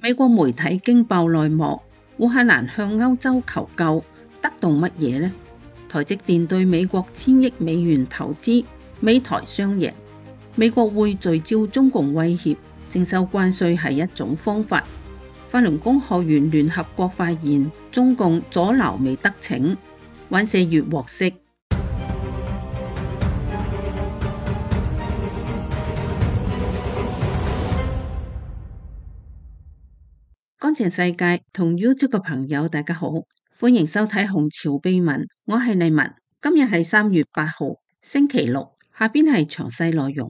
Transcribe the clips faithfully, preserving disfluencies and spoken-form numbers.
美國媒體驚爆內幕，烏克蘭向歐洲求救，得到乜嘢呢？台積電對美國千億美元投資，美台雙贏。美國會聚焦中共威脅，徵收關稅係一種方法。法輪功學員聯合國發言，中共阻撓未得逞。尹錫悅獲釋。乾淨世界同 YouTube 嘅朋友，大家好，歡迎收睇《紅潮秘聞》，我係麗文。今日係三月八號，星期六。下邊係詳細內容。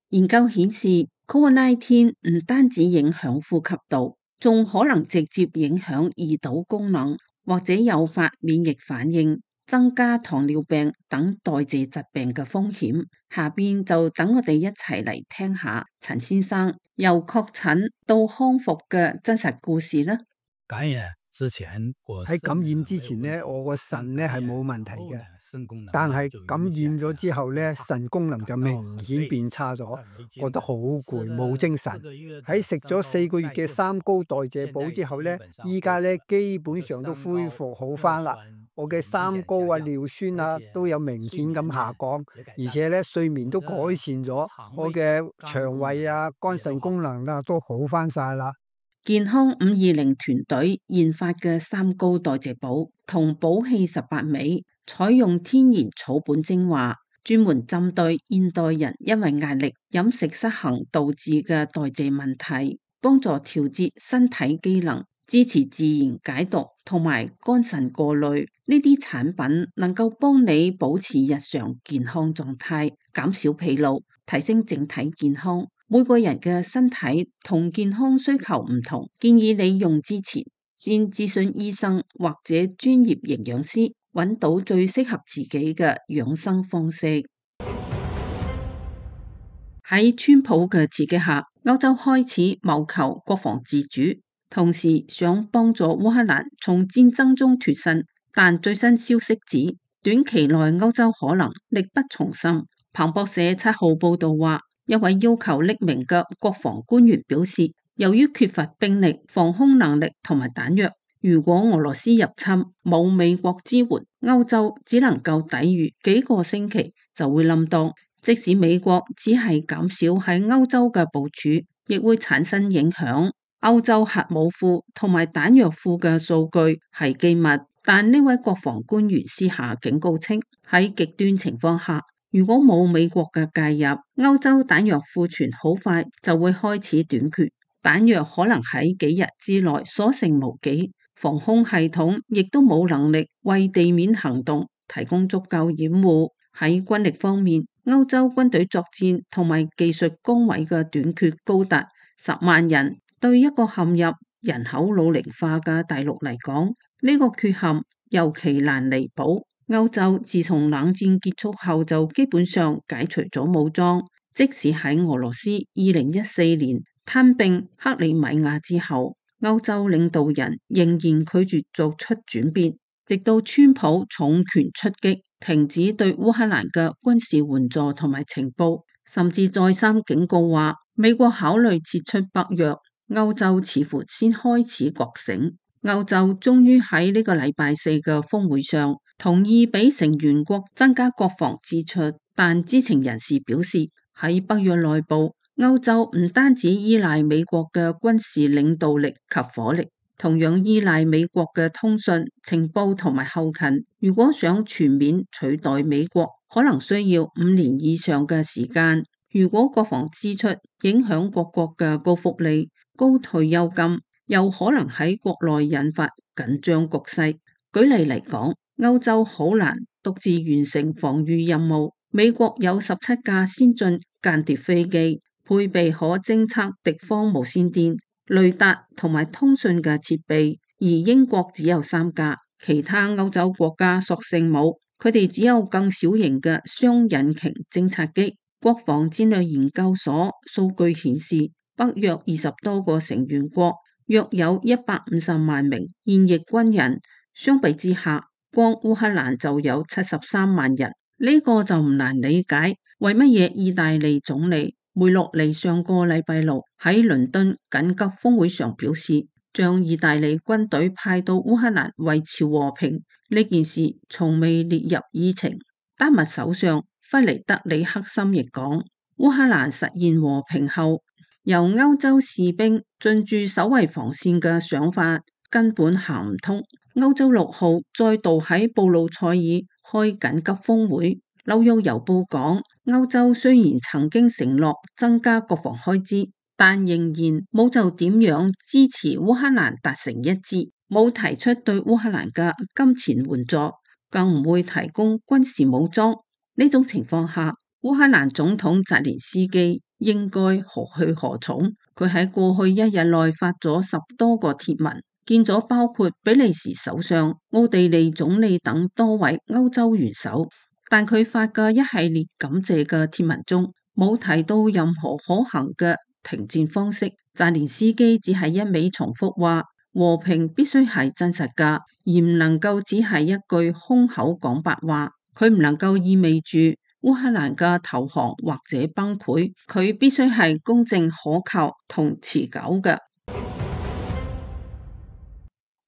研究顯示 ，Covid 十九 唔單止影響呼吸道，仲可能直接影響胰島功能，或者誘發免疫反應，增加糖尿病等代謝疾病嘅風險。下邊就等我哋一齊嚟聽下陳先生由確診到康復嘅真實故事啦。感染之前，喺感染之前呢，我個腎呢係冇問題嘅，但係感染咗之後呢，腎功能就明顯變差咗，覺得好攰，冇精神。喺食咗四個月嘅三高代謝補之後呢，依家呢基本上都恢復好返啦。我嘅三高啊、尿酸啊都有明顯咁下降，而且咧睡眠都改善咗，我嘅腸胃啊、肝腎功能啊都好返晒啦。健康五二零團隊研發嘅三高代謝補同補氣十八味，採用天然草本精華，專門針對現代人因為壓力、飲食失衡導致嘅代謝問題，幫助調節身體機能，支持自然解毒同埋肝腎過濾。呢啲產品能夠幫你保持日常健康狀態，減少疲勞，提升整體健康。每個人嘅身體同健康需求唔同，建議你用之前先諮詢醫生或者專業營養師，揾到最適合自己嘅養生方式。喺川普嘅刺激下，歐洲開始謀求國防自主，同時想幫助烏克蘭從戰爭中脫身。但最新消息指，短期內歐洲可能力不從心。彭博社七號報道話，一位要求匿名嘅國防官員表示，由於缺乏兵力、防空能力同埋彈藥，如果俄羅斯入侵冇美國支援，歐洲只能夠抵禦幾個星期就會冧檔。即使美國只係減少喺歐洲嘅部署，亦會產生影響。歐洲核武庫同埋彈藥庫嘅數據係機密，但呢位國防官員私下警告稱，喺極端情況下，如果冇美國嘅介入，歐洲彈藥庫存好快就會開始短缺，彈藥可能喺幾日之內所剩無幾，防空系統亦都冇能力為地面行動提供足夠掩護。喺軍力方面，歐洲軍隊作戰同埋技術崗位嘅短缺高達十萬人，對一個陷入人口老齡化嘅大陸嚟講，呢個缺陷尤其難彌補。歐洲自從冷戰結束後就基本上解除咗武裝，即使喺俄羅斯二零一四年吞併克里米亞之後，歐洲領導人仍然拒絕做出轉變，直到川普重拳出擊，停止對烏克蘭嘅軍事援助同埋情報，甚至再三警告話美國考慮撤出北約，歐洲似乎先開始覺醒。歐洲終於喺呢個禮拜四嘅峰會上同意俾成員國增加國防支出，但知情人士表示，喺北約內部，歐洲唔單止依賴美國嘅軍事領導力及火力，同樣依賴美國嘅通訊、情報同埋後勤。如果想全面取代美國，可能需要五年以上嘅時間。如果國防支出影響各國嘅高福利、高退休金，又可能喺國內引發緊張局勢。舉例嚟講，歐洲好難獨自完成防禦任務。美國有十七架先進間諜飛機，配備可偵測敵方無線電、雷達同埋通訊嘅設備，而英國只有三架。其他歐洲國家索性冇，佢哋只有更小型嘅雙引擎偵察機。國防戰略研究所數據顯示，北約二十多個成員國約有一百五十萬名現役軍人，相比之下，光烏克蘭就有七十三萬人。呢、這個就唔難理解，為乜嘢意大利總理梅洛尼上個禮拜六喺倫敦緊急峰會上表示，將意大利軍隊派到烏克蘭維持和平，呢件事從未列入議程。丹麥首相弗雷德里克森亦講，烏克蘭實現和平後，由歐洲士兵進駐守衛防線嘅想法根本行唔通。歐洲六號再度喺布魯塞爾開緊急峰會。紐約郵報講，歐洲雖然曾經承諾增加國防開支，但仍然冇就點樣支持烏克蘭達成一致，冇提出對烏克蘭嘅金錢援助，更唔會提供軍事武裝。呢種情況下，烏克蘭總統澤連斯基應該何去何從？佢喺過去一日內發咗十多個貼文，見咗包括比利時首相、奧地利總理等多位歐洲元首。但佢發嘅一系列感謝嘅貼文中，冇提到任何可行嘅停戰方式。澤連斯基只係一味重複話，和平必須係真實㗎，而唔能夠只係一句空口講白話。佢唔能夠意味住烏克蘭嘅投降或者崩潰，佢必須係公正可靠同持久嘅。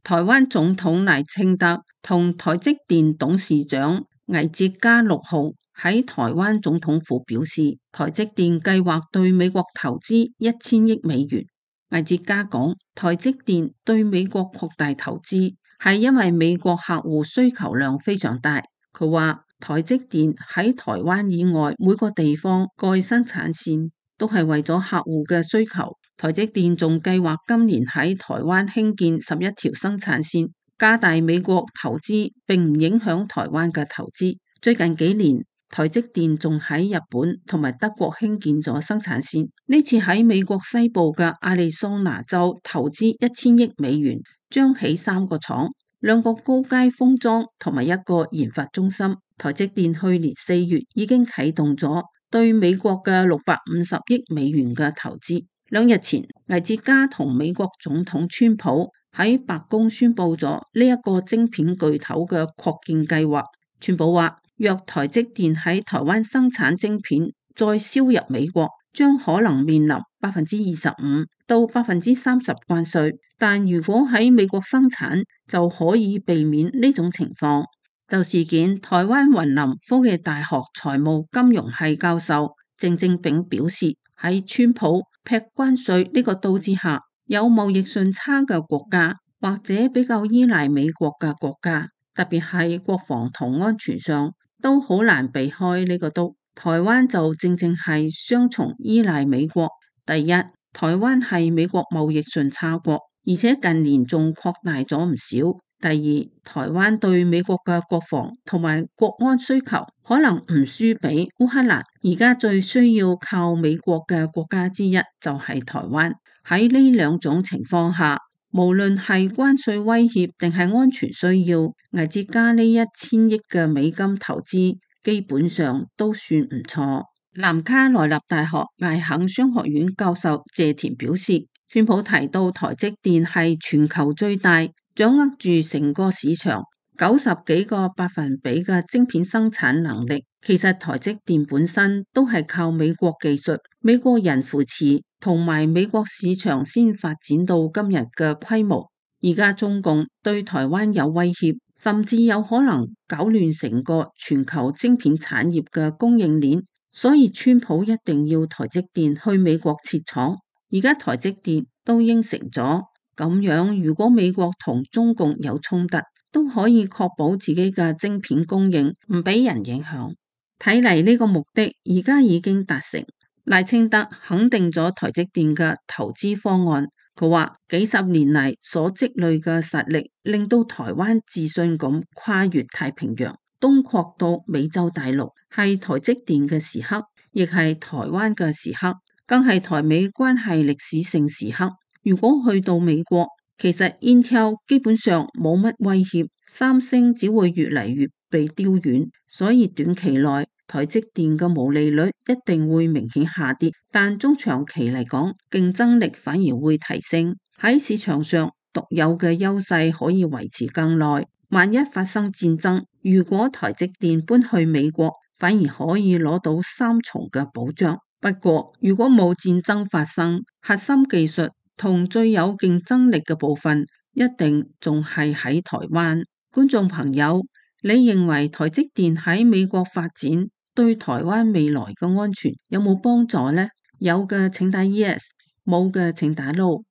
台灣總統賴清德同台積電董事長魏哲家六號喺台灣總統府表示，台積電計劃對美國投資一千億美元。魏哲家講，台積電對美國擴大投資係因為美國客戶需求量非常大。佢話台積電喺台灣以外每個地方蓋生產線都係為咗客戶嘅需求。台積電仲計劃今年喺台灣興建十一條生產線，加大美國投資並唔影響台灣嘅投資。最近幾年，台積電仲喺日本同埋德國興建咗生產線。呢次喺美國西部嘅亞利桑那州投資一千億美元，將起三個廠，兩個高階封裝同埋一個研發中心。台積電去年四月已經啟動咗對美國嘅六百五十億美元嘅投資。兩日前，魏哲家同美國總統川普喺白宮宣布咗呢一個晶片巨頭嘅擴建計劃。川普話，若台積電喺台灣生產晶片再銷入美國，將可能面臨百分之二十五到百分之三十關稅，但如果喺美國生產，就可以避免呢種情況。就事件，台灣雲林科技大學財務金融系教授鄭正炳表示，喺川普劈關稅呢個刀之下，有貿易順差嘅國家或者比較依賴美國嘅國家，特別係國防同安全上都好難避開呢個刀。台灣就正正係雙重依賴美國。第一，台灣係美國貿易順差國，而且近年仲擴大咗唔少。第二，台灣對美國嘅國防同埋國安需求可能唔輸俾烏克蘭，而家最需要靠美國嘅國家之一就係台灣。喺呢兩種情況下，無論係關稅威脅定係安全需要，魏哲家呢一千億嘅美金投資基本上都算唔錯。南卡羅來納大學艾肯商學院教授謝田表示，川普提到台積電係全球最大，掌握住成個市場九十幾個百分比嘅晶片生產能力。其實台積電本身都係靠美國技術、美國人扶持同埋美國市場先發展到今日嘅規模。而家中共對台灣有威脅，甚至有可能搞亂成個全球晶片產業嘅供應鏈，所以川普一定要台積電去美國設廠。而家台積電都應承咗。咁樣，如果美國同中共有衝突，都可以確保自己嘅晶片供應唔俾人影響。睇嚟呢個目的而家已經達成。賴清德肯定咗台積電嘅投資方案。佢話幾十年嚟所積累嘅實力，令到台灣自信咁跨越太平洋，東擴到美洲大陸，係台積電嘅時刻，亦係台灣嘅時刻，更係台美關係歷史性時刻。如果去到美國，其實 Intel 基本上冇乜威脅，三星只會越嚟越被丟遠，所以短期內台積電嘅毛利率一定會明顯下跌，但中長期嚟講，競爭力反而會提升，喺市場上獨有嘅優勢可以維持更耐。萬一發生戰爭，如果台積電搬去美國，反而可以攞到三重嘅保障。不過，如果冇戰爭發生，核心技術同最有競爭力嘅部分，一定仲係喺台灣。觀眾朋友，你認為台積電喺美國發展對台灣未來嘅安全有冇幫助呢？有嘅請打 yes， 冇嘅請打 no。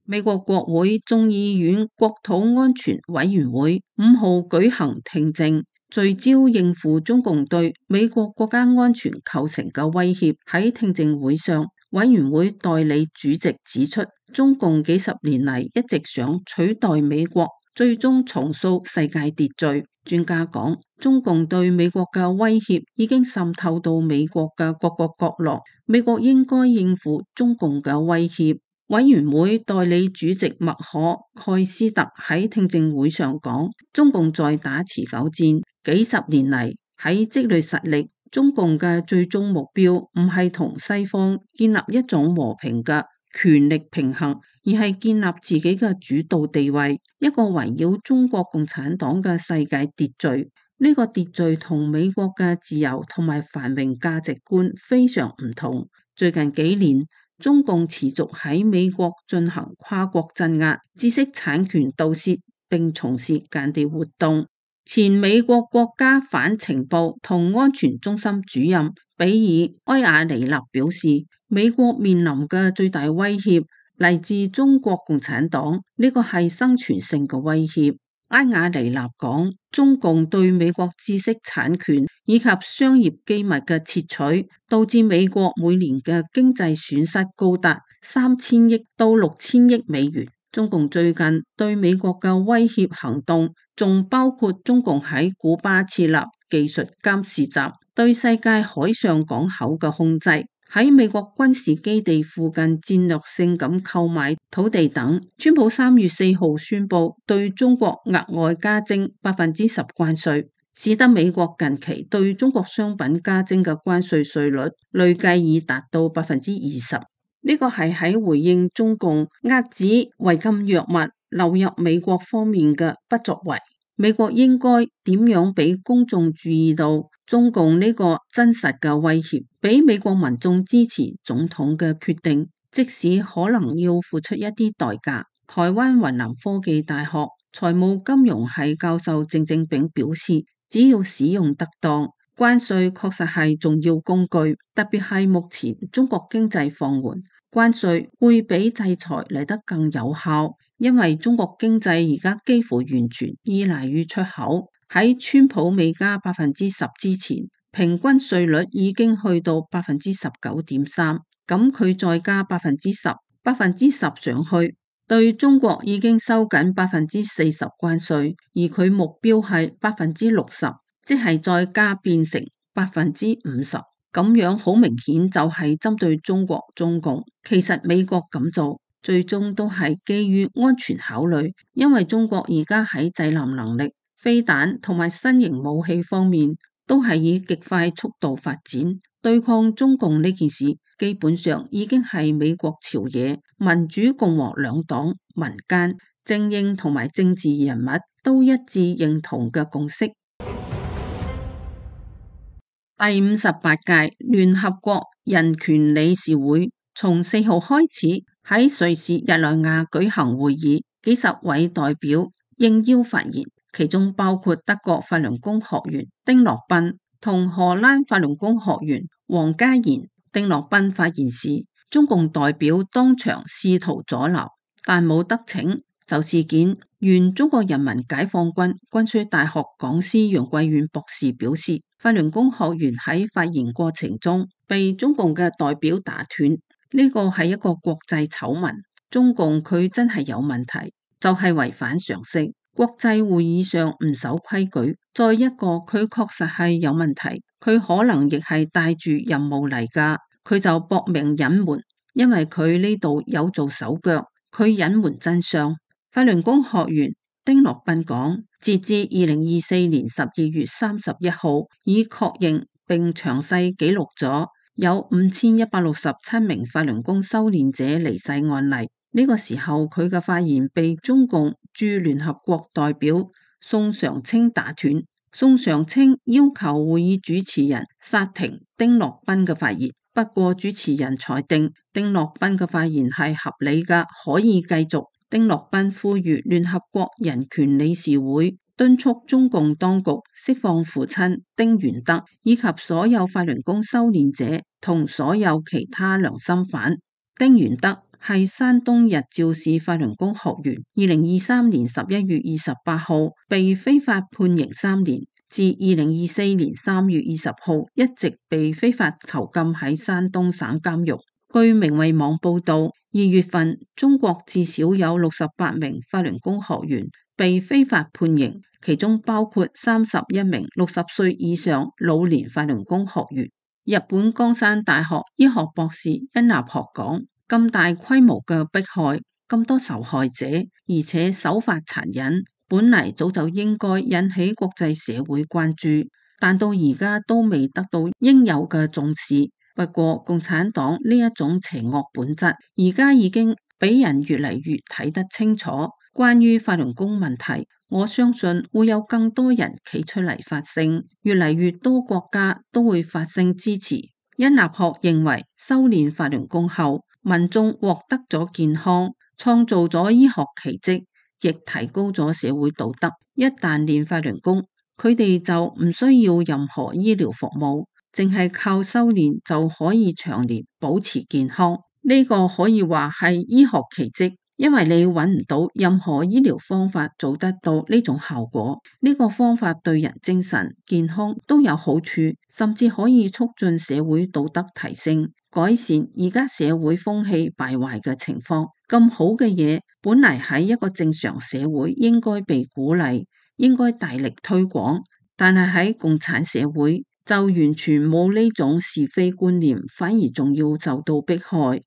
美國國會眾議院國土安全委員會五號舉行聽證，聚焦應付中共對美國國家安全構成嘅威脅。喺聽證會上，委員會代理主席指出，中共幾十年嚟一直想取代美國，最終重塑世界秩序。專家講，中共對美國嘅威脅已經滲透到美國嘅各個角落，美國應該應付中共嘅威脅。委員會代理主席麥可蓋斯特喺聽證會上講，中共在打持久戰，幾十年嚟喺積累實力，中共嘅最終目標唔係同西方建立一種和平嘅權力平衡，而係建立自己嘅主導地位，一個圍繞中國共產黨嘅世界秩序。呢個秩序同美國嘅自由同埋繁榮價值觀非常唔同。最近幾年，中共持續喺美國進行跨國鎮壓、知識產權盜竊，並從事間諜活動。前美國國家反情報同安全中心主任比爾埃亞尼納表示，美國面臨嘅最大威脅嚟自中國共產黨，呢個係生存性嘅威脅。埃亞尼納講，中共對美國知識產權以及商業機密嘅竊取，導致美國每年嘅經濟損失高達三千億到六千億美元。中共最近對美國嘅威脅行動，仲包括中共喺古巴設立技術監視站，對世界海上港口嘅控制，喺美國軍事基地附近戰略性咁購買土地等。川普三月四號宣布對中國額外加徵百分之十關稅，使得美國近期對中國商品加徵嘅關稅稅率累計已達到百分之二十。呢個係喺回應中共遏止違禁藥物流入美國方面嘅不作為。美國應該點樣俾公眾注意到中共呢個真實嘅威脅，俾美國民眾支持總統嘅決定，即使可能要付出一啲代價。台灣雲南科技大學財務金融系教授鄭正炳表示，只要使用得當，關稅確實係重要工具，特別係目前中國經濟放緩，關稅會比制裁嚟得更有效，因為中國經濟而家幾乎完全依賴於出口。喺川普未加百分之十之前，平均稅率已經去到百分之十九點三，咁佢再加百分之十，百分之十上去，對中國已經收緊百分之四十關稅，而佢目標係百分之六十。即係再加變成百分之五十，咁樣好明顯就係針對中國中共。其實美國咁做，最終都係基於安全考慮，因為中國而家喺制裁能力、飛彈同埋新型武器方面，都係以極快速度發展。對抗中共呢件事，基本上已經係美國朝野、民主共和兩黨、民間、精英同埋政治人物都一致認同嘅共識。第五十八屆聯合國人權理事會從四號開始喺瑞士日內瓦舉行會議，幾十位代表應邀發言，其中包括德國法輪功學員丁樂斌同荷蘭法輪功學員黃家賢。丁樂斌發言時，中共代表當場試圖阻撓，但冇得逞。就事件，原中國人民解放軍軍需大學講師楊貴遠博士表示，法輪功學員喺發言過程中被中共嘅代表打斷，呢個係一個國際醜聞。中共佢真係有問題，就係違反常識，國際會議上唔守規矩。再一個，佢確實係有問題，佢可能亦係帶住任務嚟噶，佢就搏命隱瞞，因為佢呢度有做手腳，佢隱瞞真相。法輪功學員丁樂斌講，截至二零二四年十二月三十一號，已確認並詳細記錄咗有五千一百六十七名法輪功修煉者離世案例。呢個時候，佢嘅發言被中共駐聯合國代表宋常清打斷。宋常清要求會議主持人剎停丁樂彬嘅發言，不過主持人裁定丁樂彬嘅發言係合理嘅，可以繼續。丁樂彬呼籲聯合國人權理事會敦促中共當局釋放父親丁元德以及所有法輪功修煉者同所有其他良心犯。丁元德係山東日照市法輪功學員，二零二三年十一月二十八號被非法判刑三年，至二零二四年三月二十號一直被非法囚禁喺山東省監獄。據明慧網報道，二月份中國至少有六十八名法輪功學員被非法判刑，其中包括三十一名六十歲以上老年法輪功學員。日本江山大學醫學博士殷立學講，咁大規模嘅迫害，咁多受害者，而且手法殘忍，本嚟早就應該引起國際社會關注，但到而家都未得到應有嘅重視。不過共產黨呢一種邪惡本質，而家已經俾人越嚟越睇得清楚。關於法輪功問題，我相信會有更多人企出嚟發聲，越嚟越多國家都會發聲支持。殷立學認為，修煉法輪功後，民眾獲得咗健康，創造咗醫學奇蹟，亦提高咗社會道德。一旦練法輪功，佢哋就唔需要任何醫療服務，淨係靠修煉就可以長年保持健康。呢個可以話係醫學奇蹟。因為你揾唔到任何醫療方法做得到呢種效果，呢個方法對人精神健康都有好處，甚至可以促進社會道德提升，改善而家社會風氣敗壞嘅情況。咁好嘅嘢，本嚟喺一個正常社會應該被鼓勵，應該大力推廣，但係喺共產社會就完全冇呢種是非觀念，反而仲要受到迫害。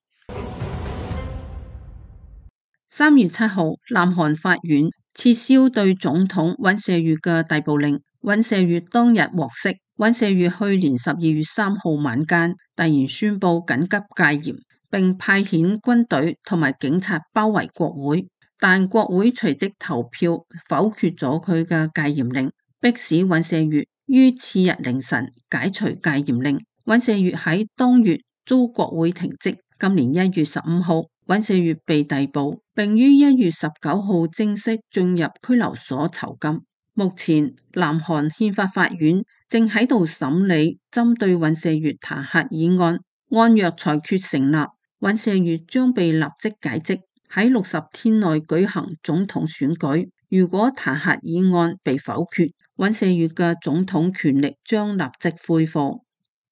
三月七號，南韓法院撤銷對總統尹錫悅嘅逮捕令。尹錫悅當日獲釋。尹錫悅去年十二月三號晚間突然宣布緊急戒嚴，並派遣軍隊同埋警察包圍國會，但國會隨即投票否決咗佢嘅戒嚴令，迫使尹錫悅於次日凌晨解除戒嚴令。尹錫悅喺當月遭國會停職。今年一月十五號，尹錫悅被逮捕，並於一月十九號正式進入拘留所囚禁。目前，南韓憲法法院正喺度審理針對尹錫悅彈劾議案，案若裁決成立，尹錫悅將被立即解職，喺六十天內舉行總統選舉。如果彈劾議案被否決，尹錫悅嘅總統權力將立即恢復。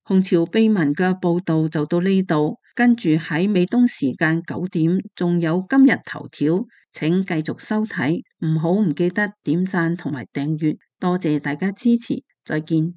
紅潮秘聞嘅報道就到呢度。跟住喺美東時間九點，仲有今日頭條，請繼續收睇，唔好唔記得點讚同埋訂閱，多謝大家支持，再見。